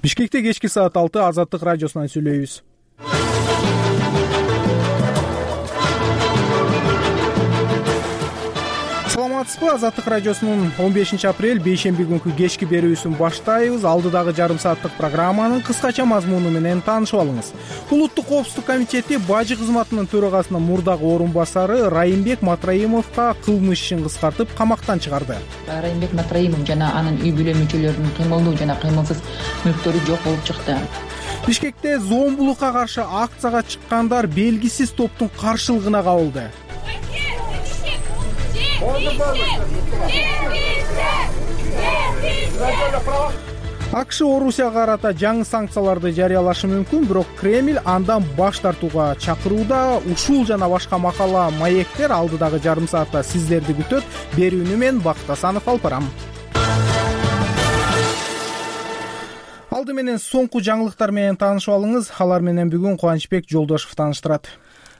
Бишкекте кечки саат 6 Азаттык радиосунан сүйлөйбүз. Саламатсызбы? Азаттык радиосунун 15 апрель бейшемби күнкү кечки берүүсүн баштайбыз. Алдыдагы жарым сааттык программанын кыскача мазмуну менен таанышып алыңыз. Улуттук коопсуздук комитети бажы кызматынын төрагасынын мурдагы орун басары Райымбек Матраимовго кылмыш ишин кыскартып камактан чыгарды. Райымбек Матраимов жана анын үй бүлө мүчөлөрүнүн кыймылдуу жана кыймылсыз мүлктөрү жок болуп чыкты. Бишкекте зомбулукка каршы акцияга чыккандар белгисиз топтун каршылыгына кабылды. АКШ Орусияга карата жаңы санкцияларды жарыялашы мүмкүн, бирок Кремль андан баш тартууга чакырууда. Ушул жана башка макала, маектер алдыдагы жарым саатта сиздерди күтөт. Берүүнү мен Бакыт Асанов алып барам. Алды менен соңку жаңылыктар менен таанышып алыңыз. Алар менен бүгүн Кубанычбек Жолдошов тааныштырат.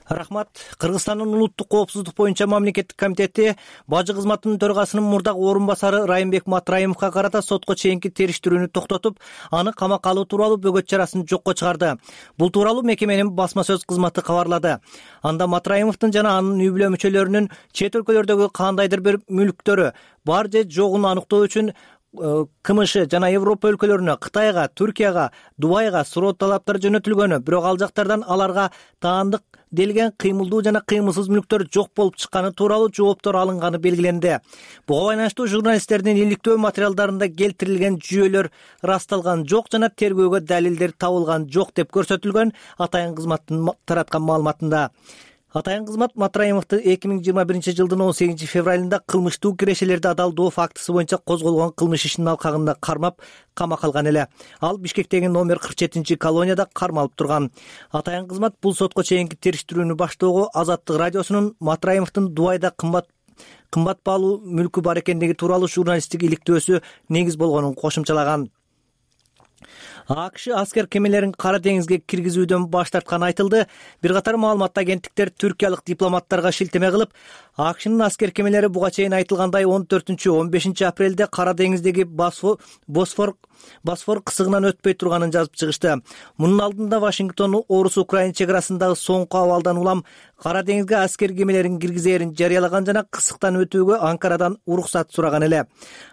Рахмат. Кыргызстандын улуттук коопсуздук боюнча мамлекеттик комитети бажы кызматынын төрагасынын мурдагы орун басары Райымбек Матраимовго карата сотко чейинки териштирүүнү токтотуп, аны камакка алуу тууралуу бөгөт чарасын жокко чыгарды. Бул тууралуу мекеменин басма сөз кызматы кабарлады. Анда Матраимовдун жана анын үй бүлө мүчөлөрүнүн чет өлкөлөрдөгү кандайдыр бир мүлктөрү бар же жогун аныктоо үчүн КМШ жана Европа өлкөлөрүнө, Кытайга, Түркияга, Дубайга суроо талаптар жөнөтүлгөнү, бирок ал жактардан аларга таандык делген кыймылдуу жана кыймылсыз мүлктөр жок болуп чыкканы тууралуу жооптор алынганы белгиленди. Буга байланыштуу журналисттердин иликтөө материалдарында келтирилген жүйөлөр ырасталган жок жана тергөөгө далилдер табылган жок деп көрсөтүлгөн атайын кызматтын тараткан маалыматында. Атайын кызмат Матраимовду 2021 жылдын 18 февралында кылмыштуу кирешелерди адалдоо фактысы боюнча козголгон кылмыш ишинин алкагында кармап камакка алган эле. Ал Бишкектеги номер 47 колонияда кармалып турган. Атайын кызмат бул сотко чейинки териштирүүнү баштоого Азаттык радиосунун Матраимовдун Дубайда кымбат баалуу мүлкү бар экендиги тууралуу журналисттик иликтөөсү негиз болгонун кошумчалаган. АКШ аскер кемелерин Кара деңизге киргизүүдөн баш тартканы айтылды. Бир катар маалымат агенттиктер түркиялык дипломаттарга шилтеме кылып, АКШнын аскер кемелери буга чейин айтылгандай 14-15 апрелде Кара деңиздеги Босфор кысыгынан өтпөй турганын жазып чыгышты. Мунун алдында Вашингтон Орус-Украин чек арасындагы соңку абалдан улам Кара деңизге аскер кемелерин киргизээрин жарыялаган жана кысыктан өтүүгө Анкарадан уруксат сураган эле.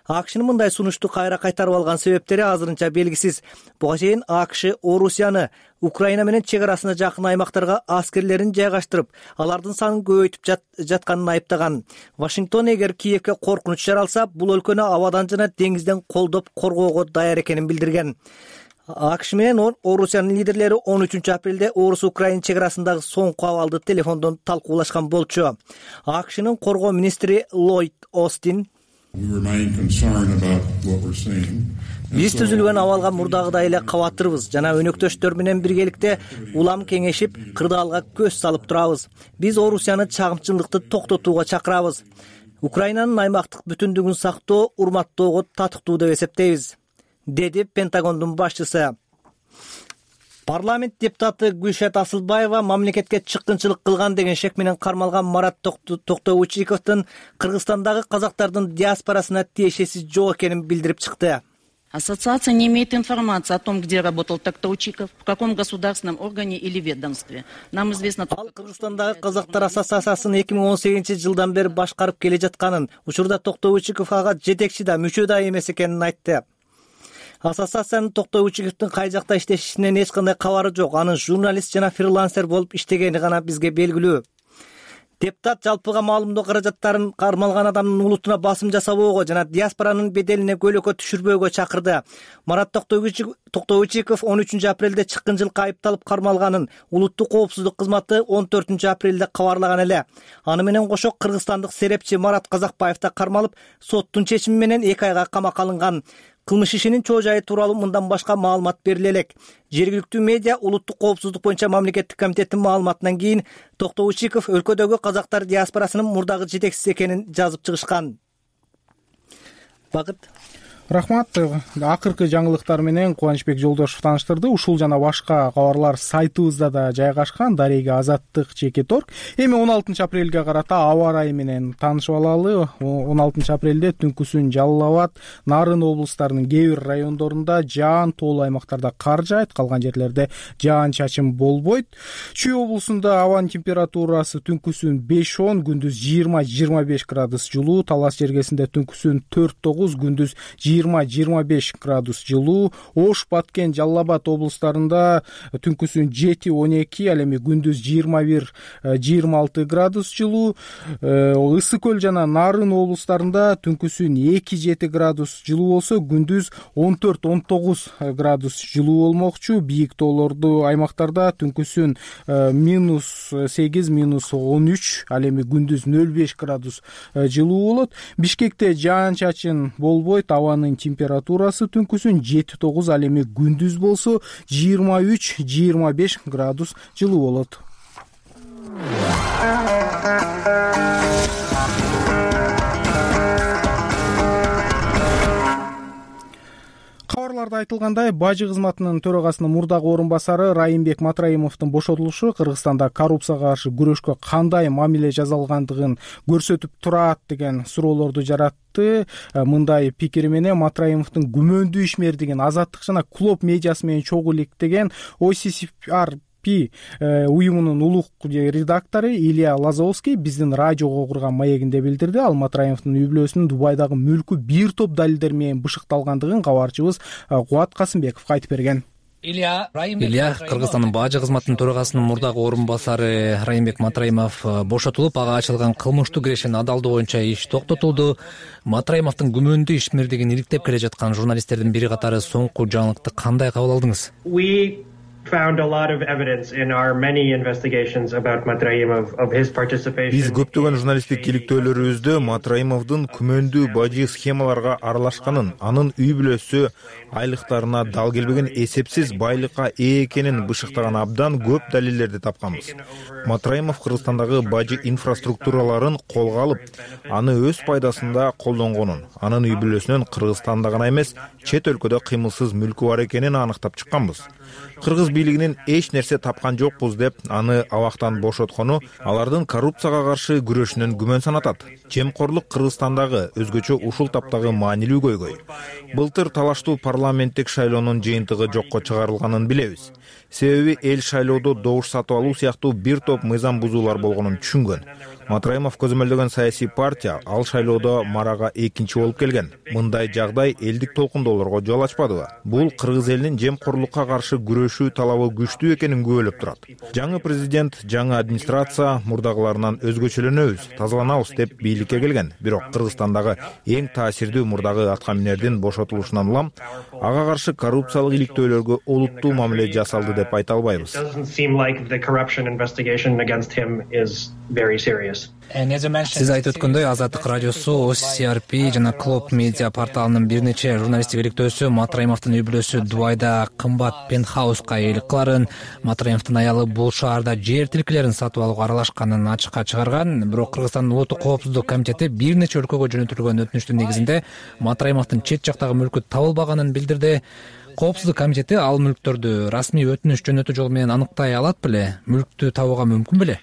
АКШнын мындай сунушту кайра кайтарып алган себептери азырынча белгисиз. Буга чейин АКШ Орусияны Украина менен чек арасына жакын аймактарга аскерлерин жайгаштырып, алардын санын көбөйтүп жатканын айыптаган. Вашингтон эгер Киевке коркунуч жаралса, бул өлкөнү абадан жана деңизден колдоп коргоого даяр экенин билдирген. АКШ менен Орусиянын лидерлери 13 апрелде Орус-Украин чек арасындагы соңку абалды телефондон талкуулашкан болчу. АКШнын коргоо министри Ллойд Остин биз түзүлгөн абалга мурдагыдай эле кабаттырбыз жана өнөктөштөр менен биргеликте улам кеңешип, кырдаалга көз салып турабыз. Биз Орусияны чагымчылыкты токтотууга чакырабыз. Украинанын аймактык бүтүндүгүн сактоо, урматтоого татыктуу деп эсептейбиз, деди Пентагондун башчысы. Парламент депутаты Гүлшат Асылбаева мамлекетке чыккынчылык кылган деген шек менен кармалган Марат Токтоочиковдун Кыргызстандагы казактардын диаспорасына тиешеси жок экенин билдирип чыкты. Ассоциация не имеет информации о том, где работал Токтоочиков, в каком государственном органе или ведомстве. Нам известно... Ал Кыргызстандагы казактар ассоциациясын 2018 жылдан бери башкарып келе жатканын, учурда Токтоочиков ага жетекчи да, мүчө да эмес экенин айтты. Ассоциациянын Токтоочиковдун кай жакта иштешинен эч кандай кабары жок. Анын журналист жана фрилансер болуп иштегени гана бизге белгилүү. Депутат жалпыга маалымдоо каражаттарын кармалган адамдын улутуна басым жасабоого жана диаспоранын беделине көйлөккө түшүрбөөгө чакырды. Марат Токтоочиков 13 апрелде чыккынчылыкка айыпталып кармалганын улуттук коопсуздук кызматы 14 апрелде кабарлаган эле. Аны менен кошо кыргызстандык серепчи Марат Казакбаев да кармалып, соттун чечими менен 2 айга камакка алынган. Кылмыш ишинин чоо жайы тууралуу мындан башка маалымат бериле элек. Жергиликтүү медиа улуттук коопсуздук боюнча мамлекеттик комитеттин маалыматынан кийин Токтоочиков өлкөдөгү казактар диаспорасынын мурдагы жетекчиси экенин жазып чыгышкан. Бакыт. Рахмат. Акыркы жаңылыктар менен Кубанычбек Жолдошев тааныштырды. Ушул жана башка кабарлар сайтыбызда да жайгашкан. Дарега Азаттык.org. Эми 16 апрелге карата аба ырайы менен таанышып алалы. 16 апрелде түнкүсүн Жалал Абад, Нарын облустарынын кээ бир райондорунда жаан, тоолуу аймактарда кар жаайт, калган жерлерде жаан-чачын болбойт. Чүй облусунда абанын температурасы түнкүсүн 5-10, күндүз 20-25 градус жылуу, Талас жергесинде түнкүсүн 4-9, күндүз 20-25 градус жылуу. Ош, Баткен, Жалал Абад облустарында түнкүсүн 7-12, ал эми күндүз 21-26 градус жылуу. Ысык көл жана Нарын облустарында түнкүсүн 2-7 градус жылуу болсо, күндүз 14-19 градус жылуу болмокчу. Бийик тоолордуу аймактарда түнкүсүн -8-13, ал эми күндүз 0-5 градус жылуу болот. Бишкекте жаан-чачын болбойт, абанын температурасы түнкүсүн 7-9, ал эми күндүз болсо 23-25 градус жылуу болот. Кабарларда айтылгандай, бажы кызматынын төрагасынын мурдагы орун басары Райымбек Матраимовдун бошотулушу Кыргызстанда коррупцияга каршы күрөшкө кандай мамиле жасалгандыгын көрсөтүп турат деген суроолорду жаратты. Мындай пикири менен Матраимовдун күмөндүү ишмердигин Азаттык жана Клоп медиасы менен чогуу иликтеген OCCR уюмунун улук редактору Илья Лазовский биздин радиого курган маегинде билдирди. Ал Матраимовдун үй бүлөсүнүн Дубайдагы мүлкү бир топ далилдер менен бышыкталгандыгын кабарчыбыз Кубат Касымбеков айтып берген. Илья, Кыргызстандын бажы кызматынын төрагасынын мурдагы орун басары Райымбек Матраимов бошотулуп, ага ачылган кылмыштуу кирешенин адалдоо боюнча иш токтотулду. Матраимовдун күмөндүү ишмердигин иликтеп келе жаткан журналисттердин бири катары соңку жаңылыкты кандай кабыл алдыңыз? Found a lot of evidence in our many investigations about Matraimov of his participation. Биз көптөгөн журналисттик иликтөөлөрүбүздө Матраимовдун күмөндүү бажы схемаларга аралашканын, анын үй бүлөсү айлыктарына дал келбеген эсепсиз байлыкка ээ экенин бышыктаган абдан көп далилдерди тапканбыз. Матраимов Кыргызстандагы бажы инфраструктураларын колго алып, аны өз пайдасында колдонгонун, анын үй бүлөсүнүн Кыргызстанда гана эмес, чет өлкөдө кыймылсыз мүлкү бар экенин аныктап чыкканбыз. Кыргыз бийлигинин эч нерсе тапкан жокпуз деп аны абактан бошоткону алардын коррупцияга каршы күрөшүнөн күмөн санатат. Жемкорлук Кыргызстандагы өзгөчө ушул таптагы маанилүү көйгөй. Былтыр талаштуу парламенттик шайлоонун жыйынтыгы жокко чыгарылганын билебиз. Себеби эл шайлоодо добуш сатып алуу сыяктуу бир топ мыйзам бузуулар болгонун түшүнгөн. Матраимов көзөмөлдөгөн саясий партия ал шайлоодо марага экинчи болуп келген. Мындай жагдай элдик толкундоолорго жол ачпадыбы? Бул кыргыз элинин жемкорлукка каршы күрөшүү талабы күчтүү экенин күбөлөп турат. Жаңы президент, жаңы администрация мурдагыларынан өзгөчөлөнөбүз, тазаланабыз деп бийликке келген. Бирок Кыргызстандагы эң таасирдүү мурдагы аткаминердин бошотулушунан улам ага каршы коррупциялык иликтөөлөргө олуттуу мамиле жасалды деп айта албайбыз. Сиз айтып өткөндөй, Азаттык радиосу, OCCR жана Клоп медиа порталынын бир нече журналисттик иликтөөсү Матраимовдун үй бүлөсү Дубайда кымбат пентхауска ээлик кыларын, Матраимовдун аялы бул шаарда жер тилкелерин сатып алууга аралашканын ачыкка чыгарган. Бирок Кыргызстандын улуттук коопсуздук комитети бир нече өлкөгө жөнөтүлгөн өтүнүчтүн негизинде Матраимовдун чет жактагы мүлкү табылбаганын билдирди. Коопсуздук комитети ал мүлктөрдү расмий өтүнүч жөнөтүү жолу менен аныктай алат беле? Мүлктү табууга мүмкүн беле?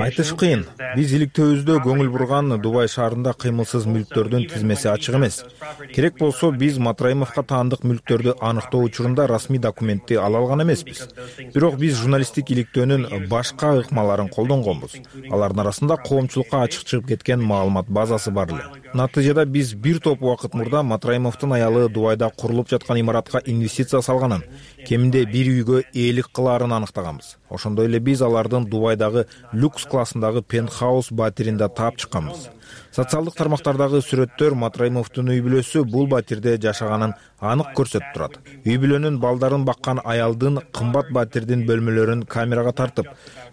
Айтыш кыйын. Биз иликтөөбүздө көңүл бурган Дубай шаарында кыймылсыз мүлктөрдүн тизмеси ачык эмес. Керек болсо биз Матраимовго таандык мүлктөрдү аныктоо учурунда расмий документти ала алган эмеспиз. Бирок биз журналисттик иликтөөнүн башка ыкмаларын колдонгонбуз. Алардын арасында коомчулукка ачык чыгып кеткен маалымат базасы бар эле. Натыйжада биз бир топ убакыт мурда Матраимовдун аялы Дубайда курулуп жаткан имаратка инвестиция салганын, кеминде бир үйгө ээлик кылаарын аныктаганбыз. Ошондой эле биз алардын Дубайдагы люкс классындагы пентхаус батиринде таап чыкканбыз. Социалдык тармактардагы сүрөттөр Матраимовдун үй бүлөсү бул батирде жашаганын анык көрсөтүп турат. Үй бүлөнүн балдарын баккан аялдын кымбат батирдин бөлмөлөрүн камерага тартып,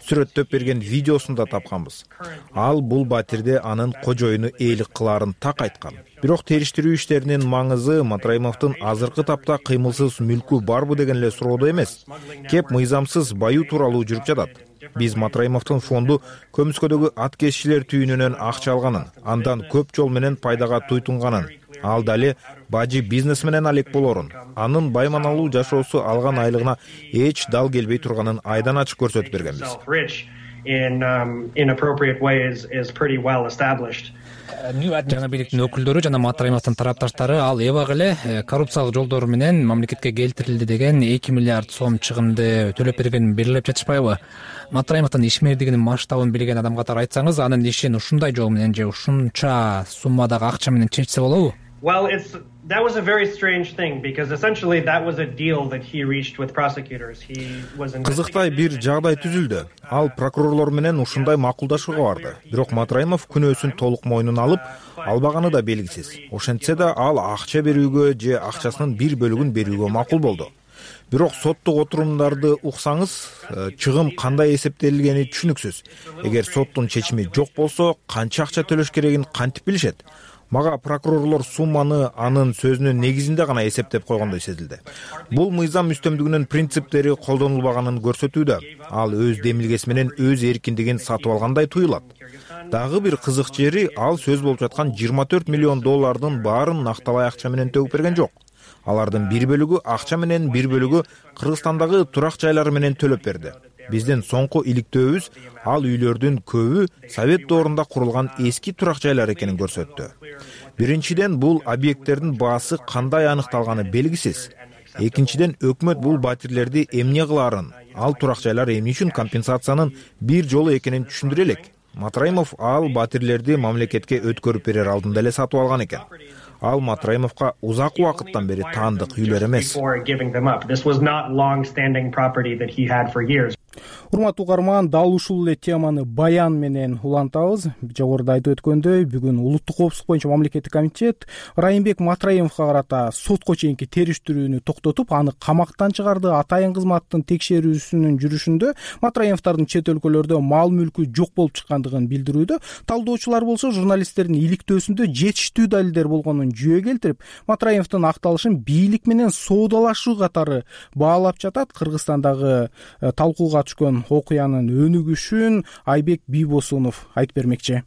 сүрөттөп берген видеосун да тапканбыз. Ал бул батирде анын кожоюну ээлик кылаарын так айткан. Бирок териштирүү иштеринин маңызы Матраимовдун азыркы тапта кыймылсыз мүлкү барбы деген эле суроодо эмес, кеп мыйзамсыз баюу тууралуу жүрүп жатат. Биз Матраимовдун фонду Көмүскөдөгү ат кесчилер түйүнүнөн акча алганын, андан көп жол менен пайдага туйтунганын, ал дали бажы бизнес менен алек болорун, анын байманалуу жашоосу алган айлыгына эч дал келбей турганын айдан ачык көрсөтүп бергенбиз. Жаңа бийликтин өкүлдөрү жана Матраимовдун тарапташтары ал эбак эле коррупциялык жолдор менен мамлекетке келтирилди деген 2 миллиард сом чыгымды төлөп бергенин белгилеп жатышпайбы? Матраимовдун ишмердигинин масштабын билген адам катары айтсаңыз, анын ишин ушундай жол менен же ушунча суммадагы акча менен чечсе болобу? Well, that was a very strange thing because essentially that was a deal that he reached with prosecutors. He was Кызыктай бир жагдай түзүлдү. Ал прокурорлор менен ушундай макулдашууга барды. Бирок Матраимов күнөөсүн толук мойнуна алып, албаганы да белгисиз. Ошентсе да ал акча берүүгө же акчасынын бир бөлүгүн берүүгө макул болду. Бирок соттук отурумдарды уксаңыз, чыгым кандай эсептелгени түшүнүксүз. Эгер соттун чечими жок болсо, канча акча төлөш керегин кантип билишет? Мага прокурорлор сумманы анын сөзүнүн негизинде гана эсептеп койгондой сезилди. Бул мыйзам үстөмдүгүнүн принциптери колдонулбаганын көрсөтүүдө. Ал өз демилгеси менен өз эркиндигин сатып алгандай туюлат. Дагы бир кызык жери, ал сөз болуп жаткан 24 миллион доллардын баарын накталай акча менен төгүп берген жок. Алардын бир бөлүгү акча менен, бир бөлүгү Кыргызстандагы турак жайлары менен төлөп берди. Биздин соңку иликтөөбүз ал үйлөрдүн көбү Совет доорунда курулган эски турак жайлар экенин көрсөттү. Биринчиден, бул объекттердин баасы кандай аныкталганы белгисиз. Экинчиден, өкмөт бул батирлерди эмне кылаарын, ал турак жайлар эмне үчүн компенсациянын бир жолу экенин түшүндүрө элек. Матраимов ал батирлерди мамлекетке өткөрүп берер алдында эле сатып алган экен. Ал Матраимовго узак убакыттан бери таандык үйлөр эмес. Урматтуу угарман, дал ушул эле теманы баян менен улантабыз. Жогоруда айтып өткөндөй, бүгүн улуттук коопсуздук боюнча мамлекеттик комитет Райымбек Матраимовго карата сотко чейинки териштирүүнү токтотуп, аны камактан чыгарды. Атайын кызматтын текшерүүсүнүн жүрүшүндө Матраимовдордун чет өлкөлөрдө мал мүлкү жок болуп чыккандыгын билдирүүдө. Талдоочулар болсо журналисттердин иликтөөсүндө жетиштүү далилдер болгонун жүйө келтирип, Матраимовдун акталышын бийлик менен соодалашуу катары баалап жатат. Кыргызстандагы талкууга түшкөн окуянын өнүгүшүн Айбек Бийбосунов айтып бермекчи.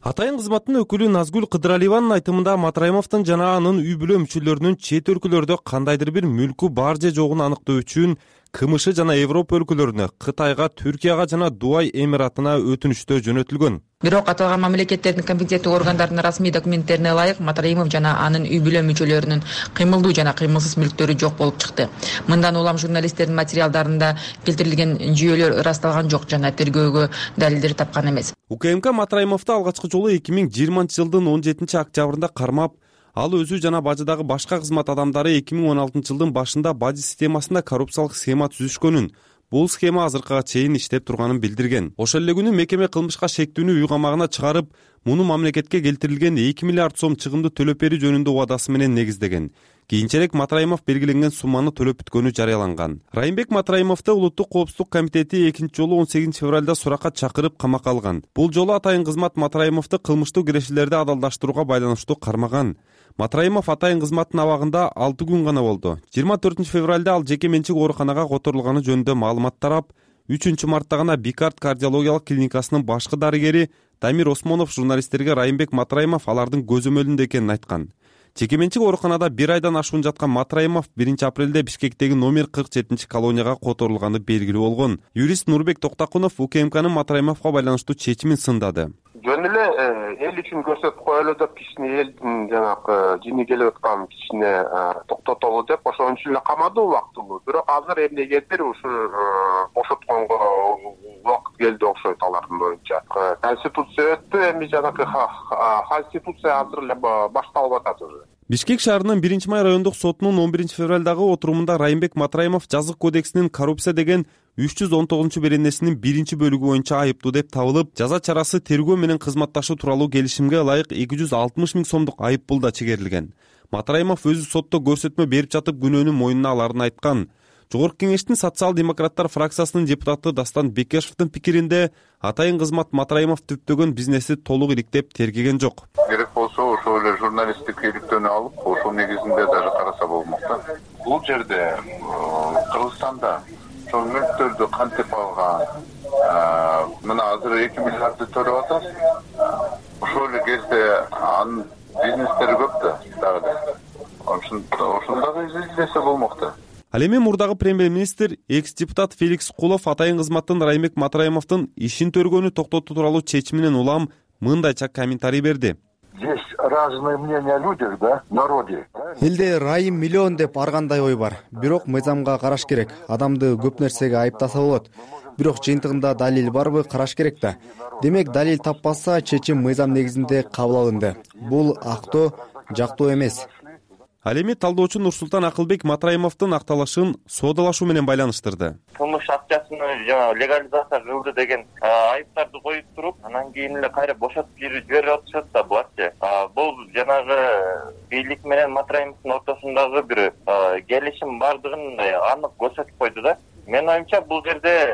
Атайын кызматтын өкүлү Назгүл Кыдыралиеванын айтымында Матраимовдун жана анын үй бүлө мүчөлөрүнүн чет өлкөлөрдө кандайдыр бир мүлкү бар же жогун аныктоо үчүн КМШ жана Европа өлкөлөрүнө, Кытайга, Түркияга жана Дубай Эмиратына өтүнүштө жөнөтүлгөн. Бирок аталган мамлекеттердин компетенттүү органдарынын расмий документтерине ылайык Матраимов жана анын үй бүлө мүчөлөрүнүн кыймылдуу жана кыймылсыз мүлктөрү жок болуп чыкты. Мындан улам журналисттердин материалдарында келтирилген жүйөлөр ырасталган жок жана тергөөгө далилдер тапкан эмес. УКМК Матраимовду алгачкы жолу 2020-жылдын 17-октябрында кармап, ал өзү жана бажыдагы башка кызмат адамдары 2016-жылдын башында бажы системасында коррупциялык схема түзүшкөнүн, бул схема азыркыга чейин иштеп турганын билдирген. Ошол эле күнү мекеме кылмышка шектүүнү үй камагына чыгарып, муну мамлекетке келтирилген 2 миллиард сом чыгымды төлөп берүү жөнүндө убадасы менен негиздеген. Кийинчерээк Матраимов белгиленген сумманы төлөп бүткөнү жарыяланган. Райымбек Матраимовду Улуттук коопсуздук комитети экинчи жолу 18 февралда суракка чакырып камакка алган. Бул жолу атайын кызмат Матраимовду кылмыштуу кирешелерди адалдаштырууга байланыштуу кармаган. Матраимов атайын кызматтын абагында 6 күн гана болду. 24 февралда ал жеке менчик ооруканага которулганы жөнүндө маалымат тарап, 3 мартта гана Бикард кардиологиялык клиникасынын башкы дарыгери Дамир Осмонов журналисттерге Райымбек Матраимов алардын көзөмөлүндө экенин айткан. Жеке менчик ооруканада 1 айдан ашуун жаткан Матраимов 1 апрелде Бишкектеги номер 47 колонияга которулганы белгилүү болгон. Юрист Нурбек Токтакунов УКМКнын Матраимовго байланыштуу чечимин сындады. Жөн эле эл үчүн көрсөтүп коелу деп кишини элдин жанагы жини келип аткан кишине токтотолу деп ошончу эле камады убактылуу. Бирок азыр эмнегедир ушу бошотконго убакыт келди окшойт алардын боюнча. Конституция өттү, эми жанагы конституция азыр эле башталып атат уже. Бишкек шаарынын 1-май райондук сотунун 11 февралдагы отурумунда Райымбек Матраимов жазык кодексинин коррупция деген 319-беренесинин 1-бөлүгү боюнча айыптуу деп табылып, жаза чарасы тергөө менен кызматташуу тууралуу келишимге ылайык 260 000 сомдук айып пул да чегерилген. Матраимов өзү сотто көрсөтмө берип жатып күнөөнүн мойнуна аларын айткан. Жогорку кеңештин социал-демократтар фракциясынын депутаты Дастан Бекешевдин пикиринде, атайын кызмат Матраимов түптөгөн бизнеси толук иликтеп тергеген жок. Керек болсо ошол эле журналисттик иликтөөнү алып, ошол негизинде дагы караса болмок да. Бул жерде Кыргызстанда ошол мүлктөрдү кантип алган, мына азыр 2 миллиардды төлөп атабыз. Ошол эле кезде анын бизнестери көп да дагы. Ошондагы изилдесе болмок да. Ал эми мурдагы премьер-министр экс-депутат Феликс Кулов атайын кызматтан Райымбек Матраимовдун ишин төргөнү токтотуу тууралуу чечиминен улам мындайча комментарий берди. Здесь разные мнения о людях, да, народе. Элде Райым миллион деп ар кандай ой бар. Бирок мыйзамга караш керек. Адамды көп нерсеге айыптаса болот. Бирок жыйынтыгында далил барбы караш керек да. Демек далил таппаса чечим мыйзам негизинде кабыл алынды. Бул актоо, жактоо эмес. Ал эми талдоочу Нурсултан Акылбек Матраимовдун акталышын соодалашуу менен байланыштырды. Кылмыш акчасын легализация кылды деген айыптарды коюп туруп, анан кийин эле кайра бошотуп жиберип атышат да буларчы. Бул жанагы бийлик менен Матраимовдун ортосундагы бир келишим бардыгын анык көрсөтүп койду да. Менин оюмча бул жерде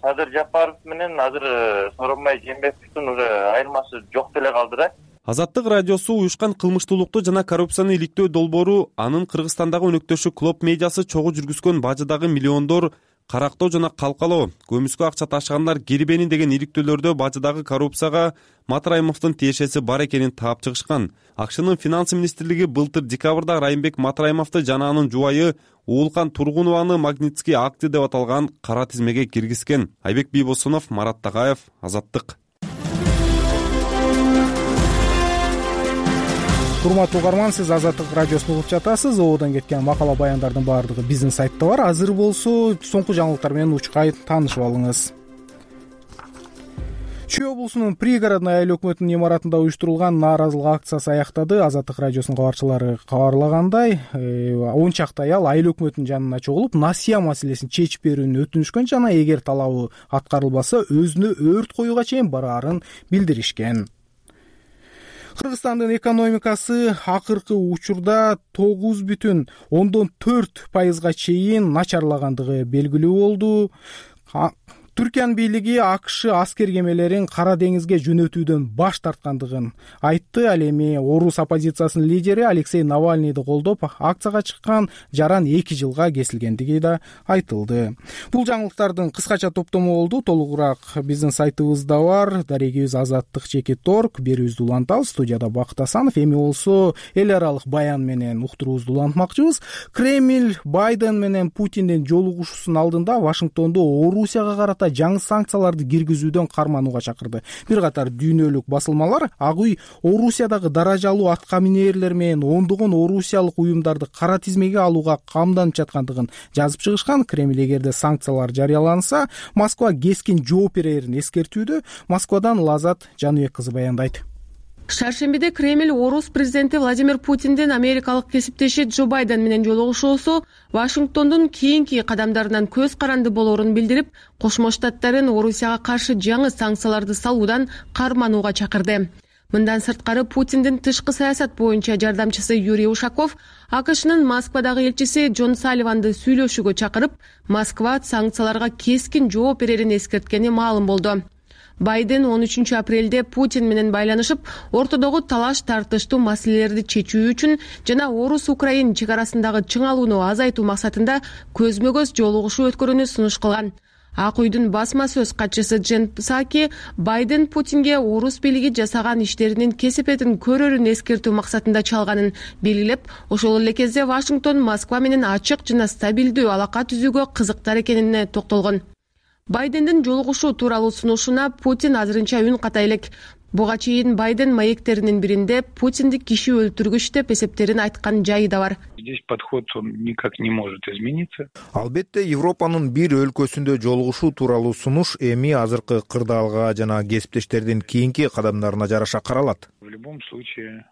Садыр Жапаров менен азыр Сооронбай Жээнбековдун уже айырмасы жок деле калды да. Азаттык радиосу уюшкан кылмыштуулукту жана коррупцияны иликтөө долбоору анын Кыргызстандагы өнөктөшү Клоп медиасы чогуу жүргүзгөн бажыдагы миллиондор карактоо жана калкалоо, көмүскө акча ташыгандар кирбени деген иликтөөлөрдө бажыдагы коррупцияга Матраимовдун тиешеси бар экенин таап чыгышкан. АКШнын финанс министрлиги былтыр декабрда Райымбек Матраимовду жана анын жубайы Уулкан Тургунованы Магнитский акты деп аталган кара тизмеге киргизген. Айбек Бийбосунов, Марат Тагаев, Азаттык. Урматтуу угарман, сиз Азаттык радиосун угуп жатасыз. Ободон кеткен макала баяндардын баардыгы биздин сайтта бар. Азыр болсо соңку жаңылыктар менен учкай таанышып алыңыз. Чүй облусунун пригородный айыл өкмөтүнүн имаратында уюштурулган нааразылык акциясы аяктады. Азаттык радиосунун кабарчылары кабарлагандай, 10 чакты аял айыл өкмөтүнүн жанына чогулуп, насыя маселесин чечип берүүнү өтүнүшкөн жана эгер талабы аткарылбаса, өзүнө өрт коюуга чейин бараарын билдиришкен. Кыргызстандын экономикасы акыркы учурда 9,4% чейин начарлагандыгы белгилүү болду. Түркиянын бийлиги АКШ аскер кемелерин Кара деңизге жөнөтүүдөн баш тарткандыгын айтты. Ал эми орус оппозициясынын лидери Алексей Навальныйды колдоп, акцияга чыккан жаран 2 жылга кесилгендиги да айтылды. Бул жаңылыктардын кыскача топтому болду. Толугураак биздин сайтыбызда бар. Дарегибиз azattik.org. Берүүбүздү улантабыз. Студияда Бакыт Асанов. Эми болсо эл аралык баян менен уктуруубузду улантмакчыбыз. Кремль Байден менен Путиндин жолугушуусунун алдында Вашингтондо Орусияга карата жаңы санкцияларды киргизүүдөн карманууга чакырды. Бир катар дүйнөлүк басылмалар Ак үй Орусиядагы даражалуу атка минерлер менен ондогон орусиялык уюмдарды кара тизмеге алууга камданып жаткандыгын жазып чыгышкан. Кремль эгерде санкциялар жарыяланса, Москва кескин жооп берерин эскертүүдө. Москвадан Лазат Жаныбек кызы баяндайт. Шаршембиде Кремль орус президенти Владимир Путиндин америкалык кесиптеши Джо Байден менен жолугушуусу Вашингтондун кийинки кадамдарынан көз каранды болоорун билдирип, Кошмо Штаттарын Орусияга каршы жаңы санкцияларды салуудан карманууга чакырды. Мындан сырткары Путиндин тышкы саясат боюнча жардамчысы Юрий Ушаков АКШнын Москвадагы элчиси Джон Салливанды сүйлөшүүгө чакырып, Москва санкцияларга кескин жооп берерин эскерткени маалым болду. Байден 13 апрелде Путин менен байланышып, ортодогу талаш тартыштуу маселелерди чечүү үчүн жана Орус-Украин чек арасындагы чыңалууну азайтуу максатында көзмө-көз жолугушуу өткөрүүнү сунуш кылган. Ак үйдүн басма сөз катчысы Джен Псаки Байден Путинге орус бийлиги жасаган иштеринин кесепетин көрөрүн эскертүү максатында чалганын белгилеп, ошол эле кезде Вашингтон Москва менен ачык жана стабилдүү алака түзүүгө кызыктар экенине токтолгон. Байдендин жолугушуу тууралуу сунушуна Путин азырынча үн ката элек. Буга чейин Байден маектеринин биринде Путинди киши өлтүргүч деп эсептерин айткан жайы да бар. Здесь подход он никак не может измениться. Албетте, Европанын бир өлкөсүндө жолугушуу тууралуу сунуш эми азыркы кырдаалга жана кесиптештердин кийинки кадамдарына жараша каралат. В любом случае,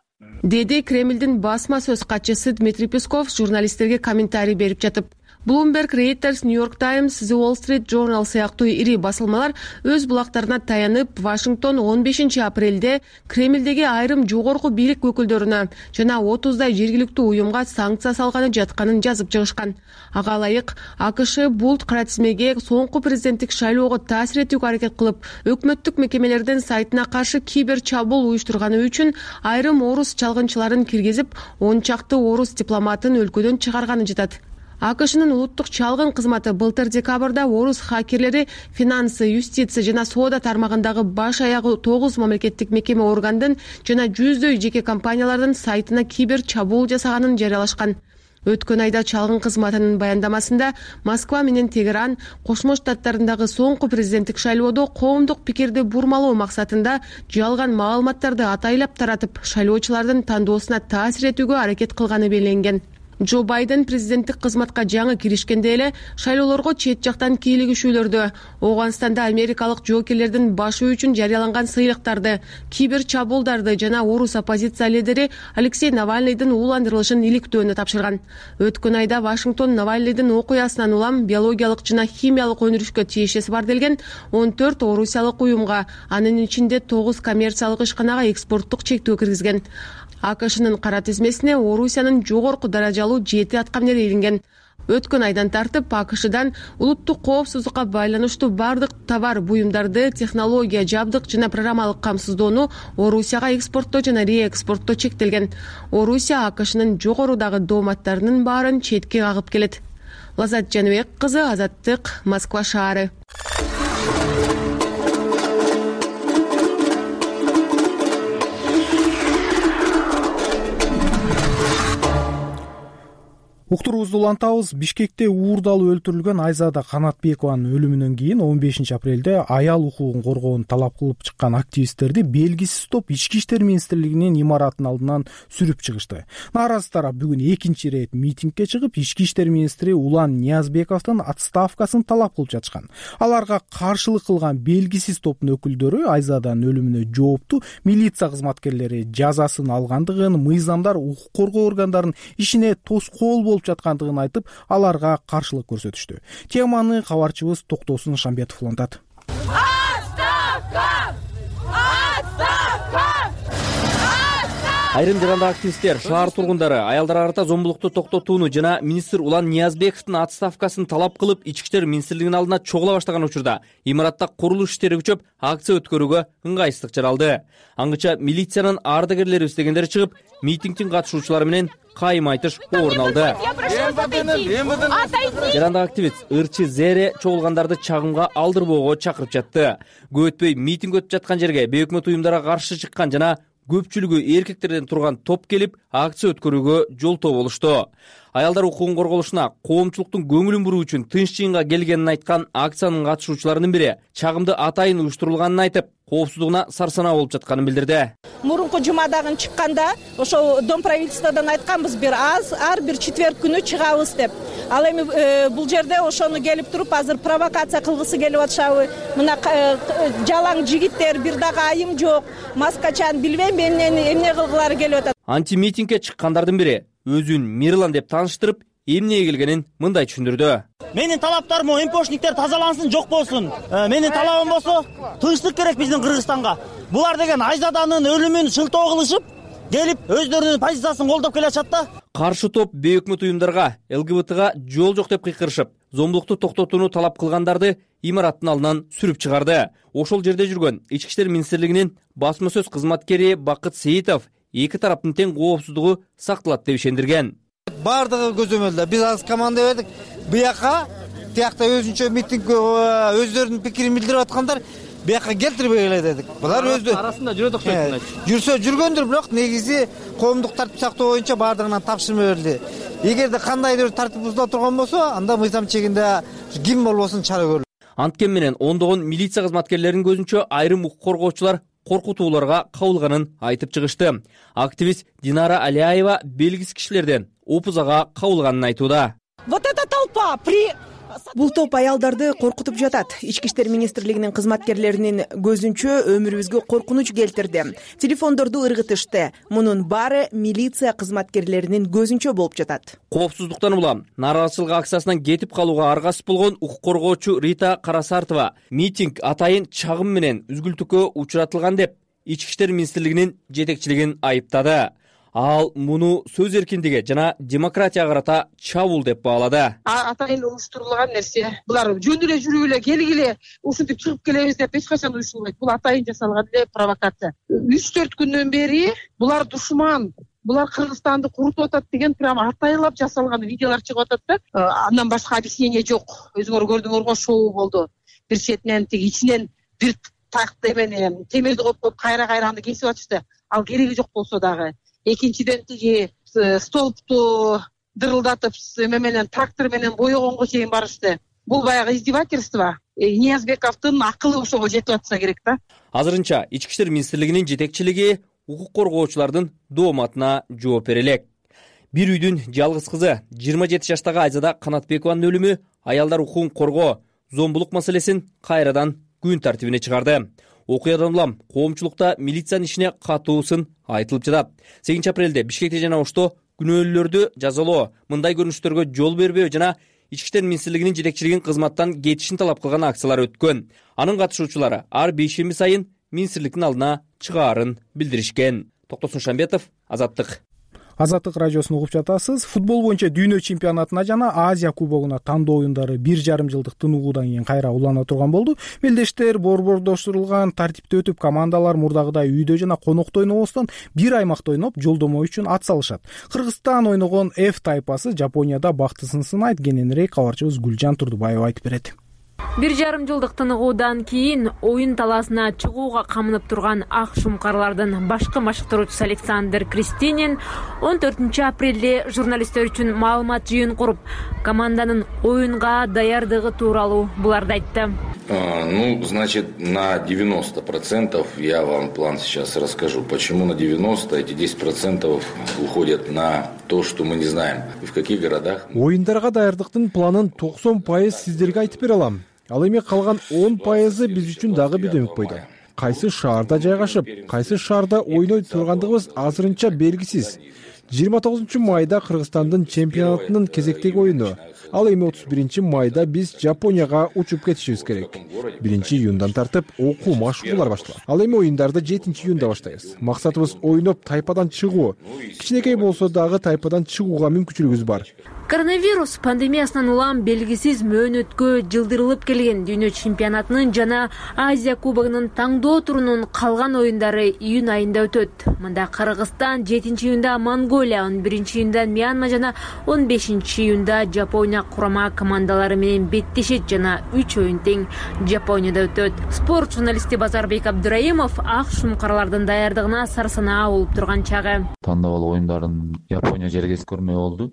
деди Кремлдин басма сөз катчысы Дмитрий Песков журналисттерге комментарий берип жатып. Bloomberg, Reuters, New York Times, The Wall Street Journal сыяктуу ири басылмалар өз булактарына таянып, Вашингтон 15 апрелде Кремлдеги айрым жогорку бийлик өкүлдөрүнө жана 30дай жергиликтүү уюмга санкция салганы жатканын жазып чыгышкан. Ага ылайык, АКШ бул кара тизмеге соңку президенттик шайлоого таасир этүүгө аракет кылып, өкмөттүк мекемелердин сайтына каршы кибер чабуул уюштурганы үчүн айрым орус чалгынчыларын киргизип, 10 чакты орус дипломатын өлкөдөн чыгарганы жатат. АКШнын улуттук чалгын кызматы былтыр декабрда орус хакерлери финансы, юстиция жана соода тармагындагы баш аягы 9 мамлекеттик мекеме органдын жана жүздөй жеке компаниялардын сайтына кибер чабуул жасаганын жарыялашкан. Өткөн айда чалгын кызматынын баяндамасында Москва менен Тегеран Кошмо Штаттарындагы соңку президенттик шайлоодо коомдук пикирди бурмалоо максатында жалган маалыматтарды атайлап таратып, шайлоочулардын тандоосуна таасир этүүгө аракет кылганы белгиленген. Джо Байден президенттик кызматка жаңы киришкенде эле шайлоолорго чет жактан кийлигишүүлөрдү, Ооганстанда америкалык жоокерлердин башы үчүн жарыяланган сыйлыктарды, кибер чабуулдарды жана орус оппозиция лидери Алексей Навальныйдын ууландырылышын иликтөөнү тапшырган. Өткөн айда Вашингтон Навальныйдын окуясынан улам биологиялык жана химиялык өндүрүшкө тиешеси бар делген 14 орусиялык уюмга, анын ичинде 9 коммерциялык ишканага экспорттук чектөө киргизген. АКШнын кара тизмесине Орусиянын жогорку даражалуу 7 аткаминери илинген. Өткөн айдан тартып АКШдан улуттук коопсуздукка байланыштуу бардык товар буюмдарды, технология, жабдык жана программалык камсыздоону Орусияга экспорттоо жана реэкспорттоо чектелген. Орусия АКШнын жогорудагы дооматтарынын баарын четке кагып келет. Лазат Жаныбек кызы, Азаттык, Москва шаары. Уктуруубузду улантабыз. Бишкекте уурдалып өлтүрүлгөн Айзада Канатбекованын өлүмүнөн кийин 15 апрелде аял укугун коргоону талап кылып чыккан активисттерди белгисиз топ Ички иштер министрлигинин имаратынын алдынан сүрүп чыгышты. Нааразы тарап бүгүн экинчи ирет митингге чыгып, Ички иштер министри Улан Ниязбековдун отставкасын талап кылып жатышкан. Аларга каршылык кылган белгисиз топтун өкүлдөрү Айзаданын өлүмүнө жоопту милиция кызматкерлери жазасын алгандыгын, мыйзамдар укук коргоо органдарынын ишине тоскоол жаткандыгын айтып, аларга каршылык көрсөтүштү. Теманы кабарчыбыз Токтосун Шамбетов улантат. Айрым жарандык активисттер, шаар тургундары аялдарга карата зомбулукту токтотууну жана министр Улан Ниязбековдун отставкасын талап кылып, Ички иштер министрлигинин алдына чогула баштаган учурда имаратта курулуш иштери күчөп, акция өткөрүүгө ыңгайсыздык жаралды. Аңгыча милициянын ардагерлерибиз дегендери чыгып, митингдин катышуучулары менен кайым айтыш орун алды. Жарандык активист ырчы Зере чогулгандарды чагымга алдырбоого чакырып жатты. Көп өтпөй митинг өтүп жаткан жерге бейөкмөт уюмдарга каршы чыккан жана көпчүлүгү эркектерден турган топ келип, акция өткөрүүгө жолтоо болушту. Аялдар укугун корголушуна коомчулуктун көңүлүн буруу үчүн тынч жыйынга келгенин айткан акциянын катышуучуларынын бири чагымды атайын уюштурулганын айтып, коопсуздугуна сарсанаа болуп жатканын билдирди. Мурунку жумадагы чыкканда ошол Дом правительстводан айтканбыз, ар бир четверг күнү чыгабыз деп. Ал эми бул жерде ошону келип туруп, азыр провокация кылгысы келип атышабы? Мына жалаң жигиттер, бир дагы айым жок, маскачан, билбейм эмне кылгылары келип атат. Анти-митингге чыккандардын бири өзүн Мирлан деп тааныштырып, эмнеге келгенин мындай түшүндүрдү. Менин талаптарым МПОшниктер тазалансын, жок болсун. Менин талабым болсо, тынчтык керек биздин Кыргызстанга. Булар деген Айзаданын өлүмүн шылтоо кылышып, келип өздөрүнүн позициясын колдоп келе атышат да. Каршы топ бейөкмөт уюмдарга, ЛГБТга жол жок деп кыйкырышып, зомбулукту токтотууну талап кылгандарды имараттын алдынан сүрүп чыгарды. Ошол жерде жүргөн Ички иштер министрлигинин басма сөз кызматкери Бакыт Сейитов эки тараптын тең коопсуздугу сакталат деп ишендирген. Бардыгы көзөмөлдө биз азыр команда бердик. Буяка тиякта өзүнчө митинг өздөрүнүн пикирин билдирип аткандар буяка келтирбей эле дедик. Булар өздөрү арасында жүрөт окшойт. Жүрсө жүргөндүр, бирок негизи коомдук тартип сактоо боюнча бардыгынан тапшырма берилди. Эгерде кандайдыр тартип бузула турган болсо, анда мыйзам чегинде ким болбосун чара көрүлөт. Анткен менен ондогон милиция кызматкерлеринин көзүнчө айрым укук коргоочулар коркутууларга кабылганын айтып чыгышты. Активист Динара Алиаева белгисиз кишилерден опузага кабылганын айтууда. Вот эта толпа Бул топ аялдарды коркутуп жатат. Ички иштер министрлигинин кызматкерлеринин көзүнчө өмүрүбүзгө коркунуч келтирди. Телефондорду ыргытышты. Мунун баары милиция кызматкерлеринин көзүнчө болуп жатат. Коопсуздуктан улам нааразычылык акциясынан кетип калууга аргасыз болгон укук коргоочу Рита Карасартова митинг атайын чагым менен үзгүлтүккө учуратылган деп Ички иштер министрлигинин жетекчилигин айыптады. Ал муну сөз эркиндиги жана демократияга карата чабуул деп баалады. Атайын уюштурулган нерсе. Булар жөн эле жүрүп эле келгиле ушинтип чыгып келебиз деп эч качан уюштурулбайт. Бул атайын жасалган эле провокация. 3-4 күндөн бери булар душман, булар Кыргызстанды курутуп атат деген прямо атайлап жасалган видеолор чыгып атат да. Андан башка объяснение жок. Өзүңөр көрдүңөр го, шоу болду. Бир четинен тиги ичинен бир такты эмени темирди коюп кайра аны кесип атышты. Ал кереги жок болсо дагы. Экинчиден тиги столбту дырылдатып эме менен трактор менен боегонго чейин барышты. Бул баягы издевательство. Ниязбековдун акылы ошого жетип атса керек да. Азырынча Ички иштер министрлигинин жетекчилиги укук коргоочулардын дооматына жооп бере элек. Бир үйдүн жалгыз кызы 27 жаштагы Айзада Канатбекованын өлүмү аялдар укугун коргоо, зомбулук маселесин кайрадан күн тартибине чыгарды. Окуядан улам коомчулукта милициянын ишине катуу сын айтылып жатат. 8 апрелде Бишкекте жана Ошто күнөөлүүлөрдү жазалоо, мындай көрүнүштөргө жол бербөө жана Ички иштер министрлигинин жетекчилигин кызматтан кетишин талап кылган акциялар өткөн. Анын катышуучулары ар бейшемби сайын министрликтин алдына чыгаарын билдиришкен. Токтосун Шамбетов, Азаттык. Азаттык радиосун угуп жатасыз. Футбол боюнча дүйнө чемпионатына жана Азия кубогуна тандоо оюндары 1,5 жылдык тынугуудан кийин кайра улана турган болду. Мелдештер борбордоштурулган тартипте өтүп, командалар мурдагыдай үйдө жана конокто ойнобостон бир аймакта ойноп, жолдомо үчүн ат салышат. Кыргызстан ойногон F тайпасы Жапонияда бактысын сынайт. Кененирээк кабарчыбыз Гүлжан Турдубаева айтып берет. 1,5 жылдык тыныгуудан кийин оюн талаасына чыгууга камынып турган ак шумкарлардын башкы машыктыруучусу Александр Кристинин 14 апрелде журналисттер үчүн маалымат жыйын куруп, команданын оюнга даярдыгы тууралуу буларды айтты. Значит, на 90% я вам план сейчас расскажу. Почему на 90? Эти 10% уходят на то, что мы не знаем. И в каких городах? Оюндарга даярдыктын планын 90% сиздерге айтып бере алам. Ал эми калган 10% биз үчүн дагы бир дөмөк бойдо. Кайсы шаарда жайгашып, кайсы шаарда ойной тургандыгыбыз азырынча белгисиз. 29 майда Кыргызстандын чемпионатынын кезектеги оюну. Ал эми 31 майда биз Жапонияга учуп кетишибиз керек. 1 июндан тартып окуу машыгуулар башталат. Ал эми оюндарды 7 июнда баштайбыз. Максатыбыз ойноп тайпадан чыгуу. Кичинекей болсо дагы тайпадан чыгууга мүмкүнчүлүгүбүз бар. Коронавирус пандемиясынан улам белгисиз мөөнөткө жылдырылып келген дүйнө чемпионатынын жана Азия кубогунун таңдоо турунун калган оюндары июнь айында өтөт. Мында Кыргызстан 7 июнда Монголия, 11 июнда Мьянма жана 15 июнда Жапония курама командалары менен беттешет жана 3 оюн тең Жапонияда өтөт. Спорт журналисти Базарбек Абдыраимов ак шумкарлардын даярдыгына сарсанаа болуп турган чагы. Тандоо оюндарын Япония жергес көрмөй болду.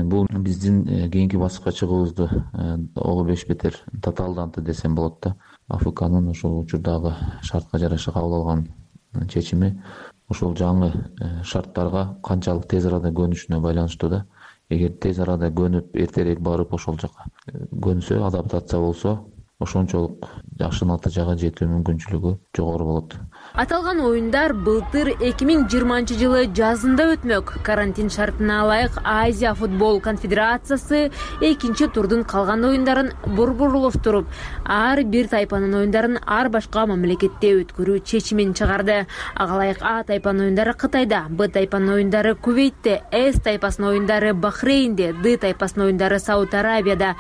Бул биздин кийинки баскычка чыгуубузду ого беш бетер татаалданты десем болот да. АФКнын ошол учурдагы шартка жараша кабыл алган чечими ошол жаңы шарттарга канчалык тез арада көнүшүнө байланыштуу да. Эгер тез арада көнүп, эртерээк барып ошол жака көнсө, адаптация болсо, ошончолук жакшы натыйжага жетүү мүмкүнчүлүгү жогору болот. Аталган оюндар былтыр 2020 жылы жазында өтмөк. Карантин шартына ылайык Азия футбол конфедерациясы экинчи турдун калган оюндарын борборлоштуруп, ар бир тайпанын оюндарын ар башка мамлекетте өткөрүү чечимин чыгарды. Ага ылайык А тайпанын оюндары Кытайда, Б тайпанын оюндары Кувейтте, С тайпасынын оюндары Бахрейнде, Д тайпасынын оюндары Сауд Арабияда,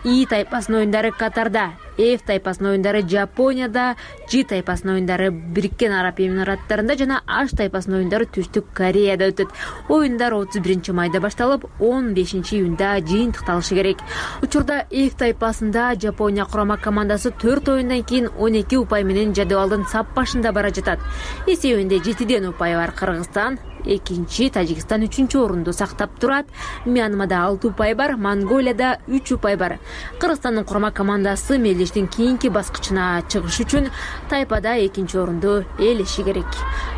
И тайпасынын оюндары Катарда, F тайпасынын оюндары Жапонияда, G тайпасынын оюндары Бириккен Араб Эмираттарында жана H тайпасынын оюндары Түштүк Кореяда өтөт. Оюндар 31 майда башталып, 15 июнда жыйынтыкталышы керек. Учурда F тайпасында Жапония курама командасы 4 оюндан кийин 12 упай менен жадыбалдын сап башында бара жатат. Эсебинде 7ден упай бар Кыргызстан, экинчи, Тажикстан 3-чү орунду сактап турат. Мьянмада 6 упай бар, Монголияда 3 упай бар. Кыргызстандын курама командасы мелдештин кийинки баскычына чыгыш үчүн тайпада 2-чү орунду ээлеши керек.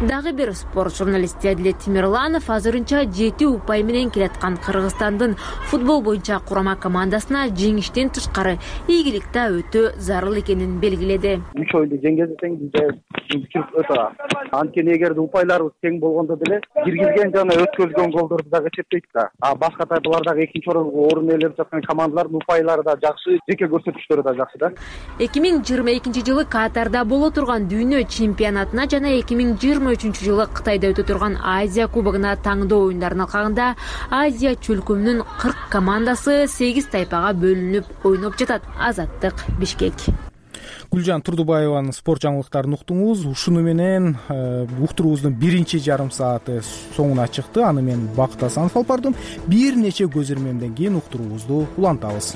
Дагы бир спорт журналисти Адилет Тимирланов азырынча 7 упай менен келаткан Кыргызстандын футбол боюнча курама командасына жеңиштен тышкары ийгилик да өтө зарыл экенин белгиледи. 3 оюнду жеңгенде тең бизде өтө. Анткени эгерде упайларыбыз тең болгондо деле киргизген жана өткөрүлгөн голдорду дагы эсептейт да. Башка тайпалардагы 2-чи орунду ээлеп жаткан командалардын упайлары да жакшы, жеке көрсөтүштөрү да жакшы да. 2022 жылы Катарда боло турган дүйнө чемпионатына жана 2023 жылы Кытайда өтө турган Азия кубогуна таңдоо оюндарынын алкагында Азия чөлкөмүнүн 40 командасы 8 тайпага бөлүнүп ойноп жатат. Азаттык, Бишкек. Гүлжан Турдубаеванын спорт жаңылыктарын уктуңуз. Ушуну менен уктуруубуздун биринчи жарым сааты соңуна чыкты. Аны мен Бакыт Асанов алып бардым. Бир нече көз ирмемден кийин уктуруубузду улантабыз.